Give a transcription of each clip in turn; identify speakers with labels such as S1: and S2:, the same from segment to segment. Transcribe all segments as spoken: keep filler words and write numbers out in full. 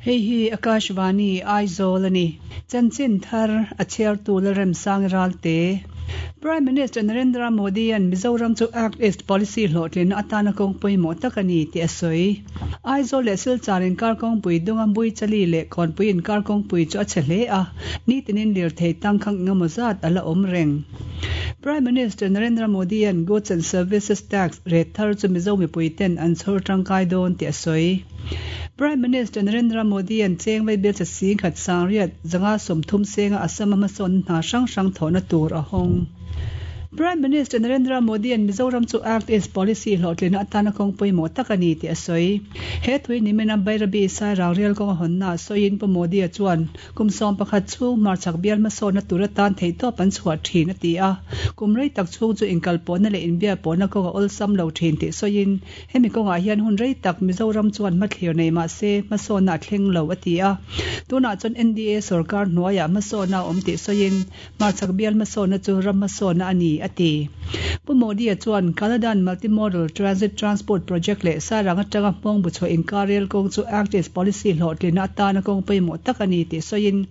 S1: Hei hi Akashvani Aizawl ani. Chanchin thar a chhiartu Lalremsang Ralte. Prime Minister Narendra Modi an Mizoram chu Act East Policy hlawhtlin atana kawng pawimawh tak ani tih a sawi. Aizawl leh Silchar inkar kawngpui dunga Buichali leh Kawnpui inkar kawngpui chu a chhe hle a, nitinin lirthei tangkhang engemaw zat a la awm reng. Prime Minister Narendra Modi an Goods and Services Tax rate thar chu Mizo mipui ten an chhawr tangkai dawn tih a sawi. Prime Minister Narendra Modi an chengvei bel cha sing khat sangriat zanga sawmthum senga Assam a hmasawn hna hrang hrang thawhna tur a hawng. Prime Minister Narendra Modi an Mizoram chu Act East Policy hlawhtlin atana kawng pawimawh tak ani tih a sawi. He thui nimina Bairabi Sairang Rail kawng a hawnna sawiin Pu Modi a chuan kum sawm pakhat chhung hmarchhak bial hmasawnna tur atan theihtawp an chhuah thin a ti a. Kum rei tak chhung chu inkal pawhna leh inbial pawhna kawng a awlsam lo thin tih sawiin hemi kawngah hian hun rei tak Mizoram chuan hmathlir nei mahse hmasawnna a thleng lo a ti a. Tunah chuan N D A sarkar hnuaiah hmasawnna a awm tih sawiin hmarchhak bial hmasawnna chu ram hmasawnna ani a ti. Pu Modi a chuan Kaladan Multimodal Transit Transport Project leh Sairang atanga hmawng bu chhuah inkar rail kawng chu Act East Policy hlawhtlin atana kawng pawimawh tak ani tih sawiin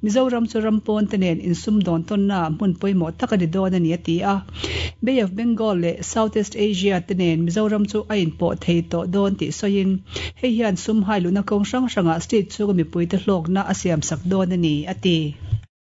S1: Mizoram chu ram pawn te nen insum dawn tawnna hmun pawimawh tak ani dawn ani a ti a. Bay of Bengal leh Southeast Asia te nen Mizoram chu a inpawh thei tawh dawn tih sawiin hei hian sum hai luna kawng hrang hrangah state chhunga mipui te hlawkna a siam sak dawn ani a ti.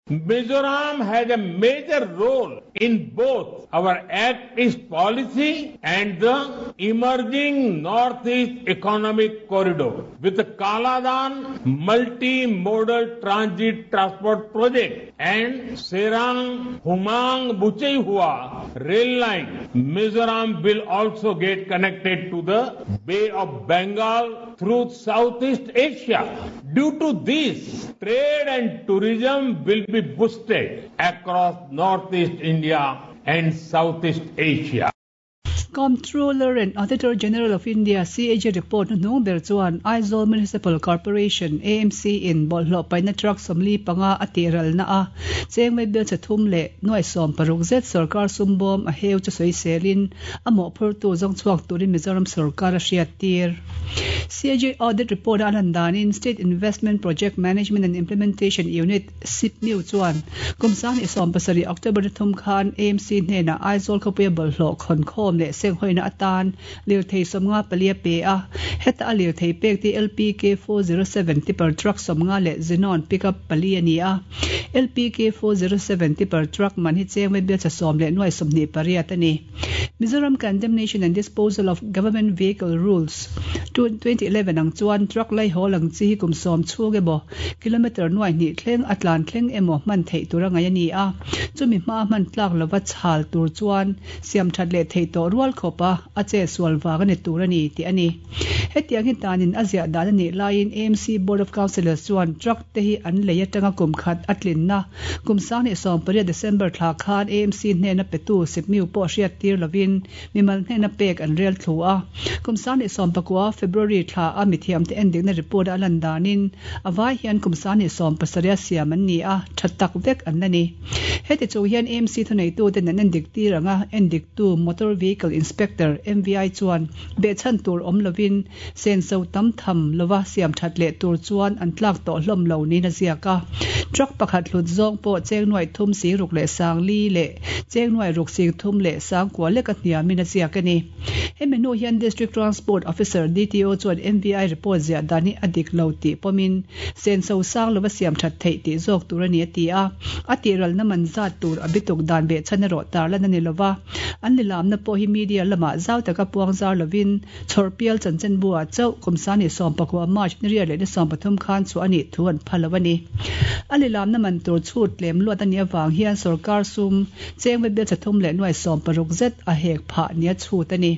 S2: Mizoram has a major role in both our Act East policy and the emerging Northeast Economic Corridor with the Kaladan Multi-Modal Transit Transport Project and Sairang Humang Bucheihua rail line. Mizoram will also get connected to the Bay of Bengal through Southeast Asia. Due to this, trade and tourism will be boosted across Northeast India and Southeast Asia.
S1: Comptroller and Auditor General of India C A G report nu ber chuan Aizawl Municipal Corporation A M C in bawlhhlawh paihna truck sawmli panga a tihral na a chengmei bel chathum leh nuai sawm paruk zet sarkar sumbawm a heu chu sawi selin a mawhphurtu zawng chhuak turin Mizoram sarkar a hriat tir. C A G audit report a lan danin State Investment Project Management and Implementation Unit S I P M U chuan kumsang ni sawm pasarih October thum khan A M C hnena Aizawl khawpuia bawlhhlawh khawn khawm leh seng hoina atan lirthei sawmnga palia pe a heta a lirthei pek ti L P K four zero seven tipper truck sawmnga leh Xenon pickup pali ani a. L P K four zero seven tipper truck man hi chengmei bel cha sawm leh nuai sawmhnih pariat ani. Mizoram Condemnation and Disposal of Government Vehicle Rules twenty eleven ang chuan truck lai hawl ang chi hi kum sawm chhung emaw kilometer nuai hnih thleng a tlan thleng emaw hman theih tur a ngai ani a. Chumi hma hman tlak lova chhal tur chuan siam that leh thei tawh rual khawp a a che sual wang ani tur ani tih ani. Hetiang hi tanin a ziah dan ani laiin A M C Board of Councillors chuan truck te hi an lei atanga kum khat a tlinna kum sang ni sawm pariat December thla khan A M C hnena petu sipmiu pawh hriat tir lovin mimal hnena pek an rel thlu a. Kum sang ni sawm pakua February thla a mithiam te endikna report a lan danin a vai hian kum sang ni sawm pasaria siam an ni a that tak vek an la ni. Heti chu hian A M C thunei tu ten an endik tir anga endik tu Motor Vehicle Inspector M V I chuan behchhan tur awm lovin senso tam tham lova siam that leh tur chuan an tlak tawh hlawm lo ni na ziak a. Truck pakhat hlut zawng pawh cheng nuai thum si ruk leh sang li leh cheng nuai ruk sing thum leh sang kua lek a hniamin a ziak ani. Hemi hnu hian District Transport Officer D T O chuan M V I report ziah dan hi a dik lo tih pawmin senso sang lova siam that theih tih zawk tur ani a ti a. A tihral na man zat tur a bituk dan behchhan erawh tar lan ani lova. An lilamna pawh hi media lamah zau taka puang zar lovin chhawrpial chanchin bua chauh kumsa ni sawm pakua March ni riat leh ni sawm pathum khan chu ani thu an phalo ani. A lilamna man tur chhut lem luat ani awang hian sarkar sum chengmei bel chathum leh nuai sawm paruk zet a hek phah nia chhut ani.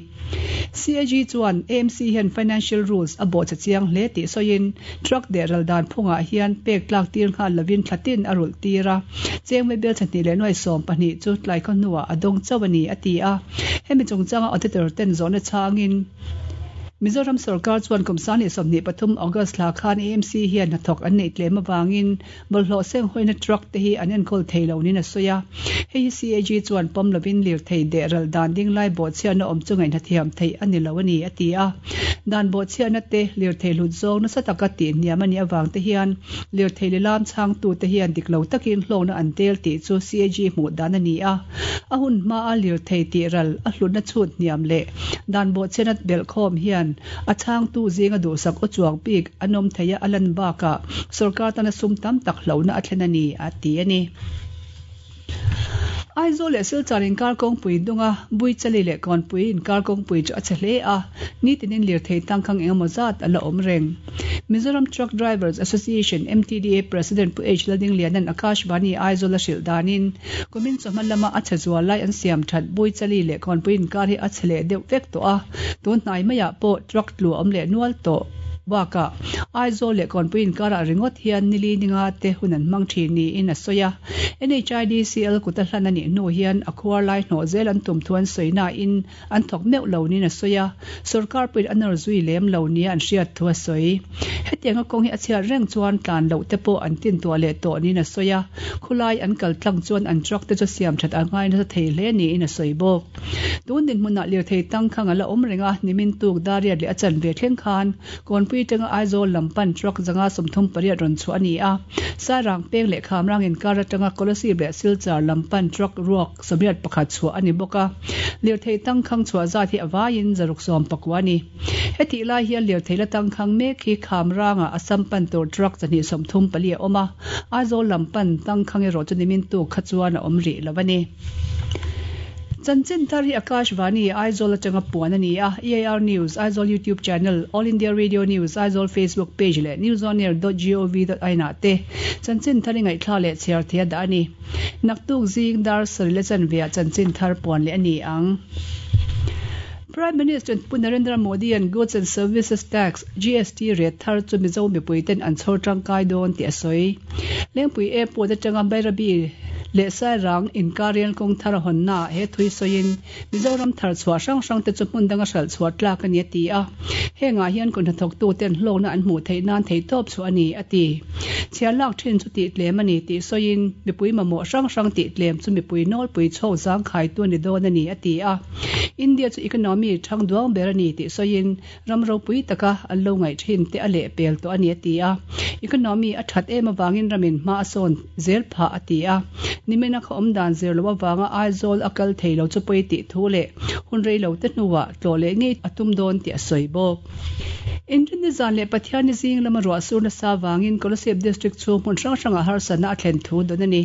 S1: C A G chuan A M C hian financial rules a bawh cha chiang hle tih sawiin truck de ral dan phungah hian pek tlak tir nghal lovin thlatin a rulh tir a. Chengmei bel chahnih leh nuai sawm pahnih chu tlai khaw hnuah a dawng chauh ani a ti a. Hemi chungchanga auditor ten zawhna changin Mizoram sarkar chuan kum sang hnih sawmhnih pathum August thla khan A M C hian hnathawk an neih tlem awangin bawlhhlawh seng hawina truck te hi an enkawl thei lo niin a sawi a. Hei hi C A G chuan pawm lovin lirthei deh ral dan ding lai bawhchhiatna awm chu ngaihna thiam theih a ni lo a ni a ti a. Dan bawhchhiatna te lirthei hlut zawng nasa taka tih hniam a nih awang te hian lirthei lilam chhangtu te hian dik lo takin hlawkna an tel tih chu C A G hmuh dan a ni a. A hun hma a lirthei tih ral a hlutna chhut hniam leh dan bawhchhiatna belhkhawm hian a chhangtu zinga duhsak aw chuang bik an awm thei a a lan bakah sarkar tana sum tam tak hlona a thlen a ni a ti a ni. Aizawl leh Silchar inkar kawngpui dunga Buichali leh Kawnpui inkar kawngpui chu a che hle a, nitinin lirthei tangkhang engemaw zat a la awm reng. Mizoram Truck Drivers Association M T D A President Pu H Laldinglianan Akashvani Aizawl a hrilh danin kumin chawhma lama a che zual lai an siam that Buichali leh Kawnpui inkar hi a che leh deuh vek tawh a, tun hnai maiah pawh truck tlu a awm leh nual tawh bakah Aizawl leh Kawnpui inkarah ringawt hian nili ninga te hun an hmang thin niin a sawi a. N H I D C L kuta hlan a nih hnu hian a khuar lai hnawh zel an tum thu an sawi na in an thawk meuh lo niin a sawi a. Sarkar pawhin a nawr zui lem lo nia an hriat thu a sawi. Hetiang a kawng hi a chhiat reng chuan tlan loh te pawh an tin tuah leh tawh niin a sawi a. Khulai an kal tlang chuan an truck te chu siam that a ngai nasa thei hle niin a sawi bawk. Tun dinhmunah lirthei tangkhang a la awm reng a, nimin tuk dariat leh a chan ve thleng khan Kawnpui tanga Aizawl lampan truck zanga sawmthum pariat rawn chhuah a ni a. Sairang peng leh Khamrang inkar atanga Kolasib leh Silchar lampan truck ruak sawmriat pakhat chhuah a ni bawk a. Lirthei tangkhang chhuah zat hi a vaiin zaruk sawm pakua a ni. Hetih lai hian lirthei la tangkhang mek hi Khamrangah Assam pan tur truck chahnih sawmthum pali a awm a. Aizawl lampan tangkhang erawh chu nimin tuk kha chuan a awm rih lo a ni. Chanchin thar hi Akashvani Aizawl atanga puan a ni a. E A R News Aizawl YouTube channel, All India Radio News Aizawl Facebook page leh newsonair dot gov dot in ah te chanchin thar hi ngaihthla leh chhiar thei a dah a ni. Naktuk zing dar sarih le chanveah chanchin thar puan leh a ni ang. Prime Minister Pu Narendra Modi an Goods and Services Tax G S T rate thar chu Mizo mipuiten an chhawr tangkai dawn tih a sawi. Lengpui Airport atanga Bairabi leh Sairang inkar rel kawng thar a hawnna he thui sawiin Mizoram thar chhuah hrang hrang te chu hmun danga hral chhuah tlak a ni a ti a. Hengah hian kun hnathawk tu ten hlawkna an hmuh theih nan thei tawp chu a ni a ti. Chhiar lak thin chu tih tlem a ni tih sawiin mipui mamawh hrang hrang tih tlem chu mipui nawlpui chhawk zang khai tu a ni dawn a ni a ti a. India chu economy thang duang ber a ni tih sawiin ram ropui taka an lo ngaih thin te a leh pel tawh a ni a ti a. Economy a that em awangin ramin hma a sawn zel phah a ti a. Nimena kha awm dan zer lo awanga Aizawl a kal thei lo chu pawi tih thu leh hun rei lo te hnuah tlaw leh ngei a tum dawn tih a sawi bawk. Inrin zan leh Pathian ni zing lama ruah surna sa wangin Kolasib District chu hmun hrang hranga harsatna a thlen thu dawn a ni.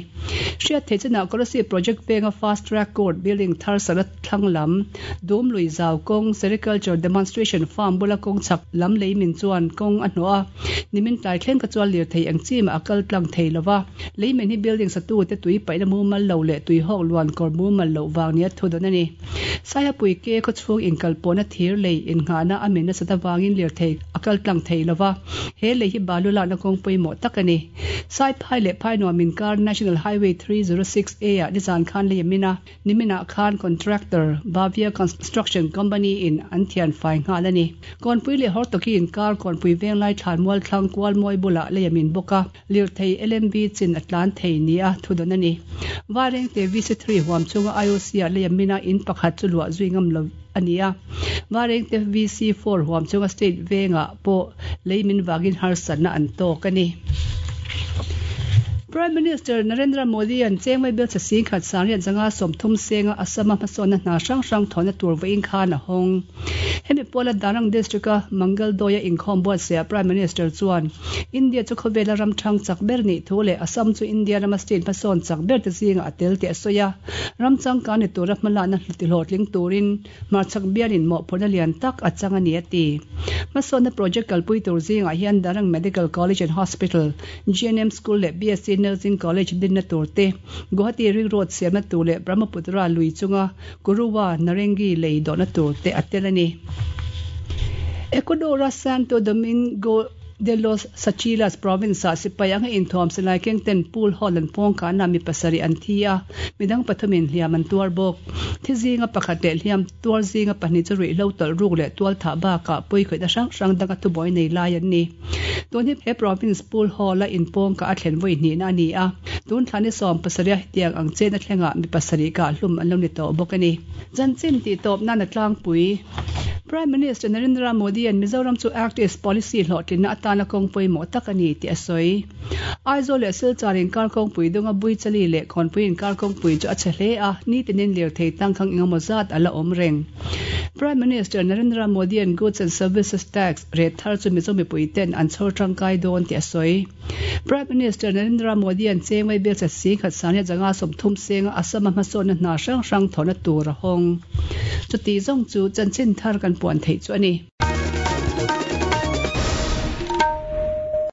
S1: Hriat thei chenah Kolasib Project penga Fast Track Court building thar sakna thlang lam Dum lui zau kawng Sericulture Demonstration Farm bula kawng chak lam leimin chuan kawng a hnawh a. Nimin tlai thleng ka chuan lirthei ang chi ma a kal tlang thei lova. Leimin hi building satu te tui paihna mumal lo leh tui hawk luan kawr mumal lo wang nia thu dawn a ni. Saihapui ke khaw chhung inkal pawhna thir lei innghahna a min nasa ta wangin lirthei a kal tlang thei lova. He lei hi balu lakna kawng pawimawh tak a ni. Saiphai leh phai nuam inkar National Highway three zero six A ah nizan khan lei a min a. Nimina khan contractor Bavia Construction Company in an thian fai nghal a ni. Kawnpui leh Hortoki inkar kawnpui venglai thlan mual thlang kual mawi bulah lei a min bawk a. Lirthei L M B chin a tlan thei ni a thu dawn a ni. Vaireng te V C three huam chunga I O C ah lei a min a in pakhat chu luah zui ngam lo a ni a. Vaireng te V C four huam chunga state vengah pawh lei min wangin harsatna an tawk a ni. Prime Minister Narendra Modi an chengmai bel cha sing khat sangriat zanga sawmthum senga Assam a hmasawnna hna hrang hrang thawhna tur vawiin khan a hawng. Hemi pawla Darang District a Mangal Doya inkhawm buatsaih Prime Minister chuan India chu khawvela ram thang chak ber ni thu leh Assam chu India rama state hmasawn chak ber te zinga a tel tih a sawi a. Ram changkan ni tura hmalakna hlawhtling turin hmarchhak bialin mawhphurhna lian tak a chang a ni a ti. Hmasawnna project kalpui tur zingah hian Darang Medical College and Hospital, G N M School leh B S C Nursing College dinna tur te, Guwahati Ring Road siamna tur leh Brahmaputra lui chunga Kuruwa Narengi lei dawhna tur te a tel a ni. Ecuador a Santo Domingo De Los Tsáchilas province ah sipai anga inthuam silai keng ten pool hall an pawng kana mi pasarih an thi a, midang pathumin hliam an tuar bawk. Thi zinga pakhat leh hliam tuar zinga pahnih chu ruihhlo tawlh ruk leh tual thah bakah pawi khawihna hrang hrang danga thubuai nei lai an ni. Tun hi he province pool hall a inpawng ka a thlen vawi hnihna a ni a, tun thla ni sawm pasarih a hetiang ang chen a thlengah mi pasarih kah hlum an lo ni tawh bawk a ni. Chanchin tih tawp nan a tlangpui. Prime Minister Narendra Modi an Mizoram chu Act East Policy hlawhtlinna atana kawng pawimawh tak a ni tih a sawi. Aizawl leh Silchar inkar kawngpui dunga Buichali leh Khawnpui inkar kawngpui chu a chhe hle a, nitinin lirthei tangkhang engemaw zat a la awm reng. Prime Minister Narendra Modi an Goods and Services Tax rate thar chu Mizo mipui ten an chhawr tangkai dawn tih a sawi. Prime Minister Narendra Modi an chengwei bel chat si khat sania zanga sawmthum senga Assam a hmasawnna hna hrang hrang thawhna tur a hawng. Chuti zawng chu chanchin thar kan puan theih chu a ni.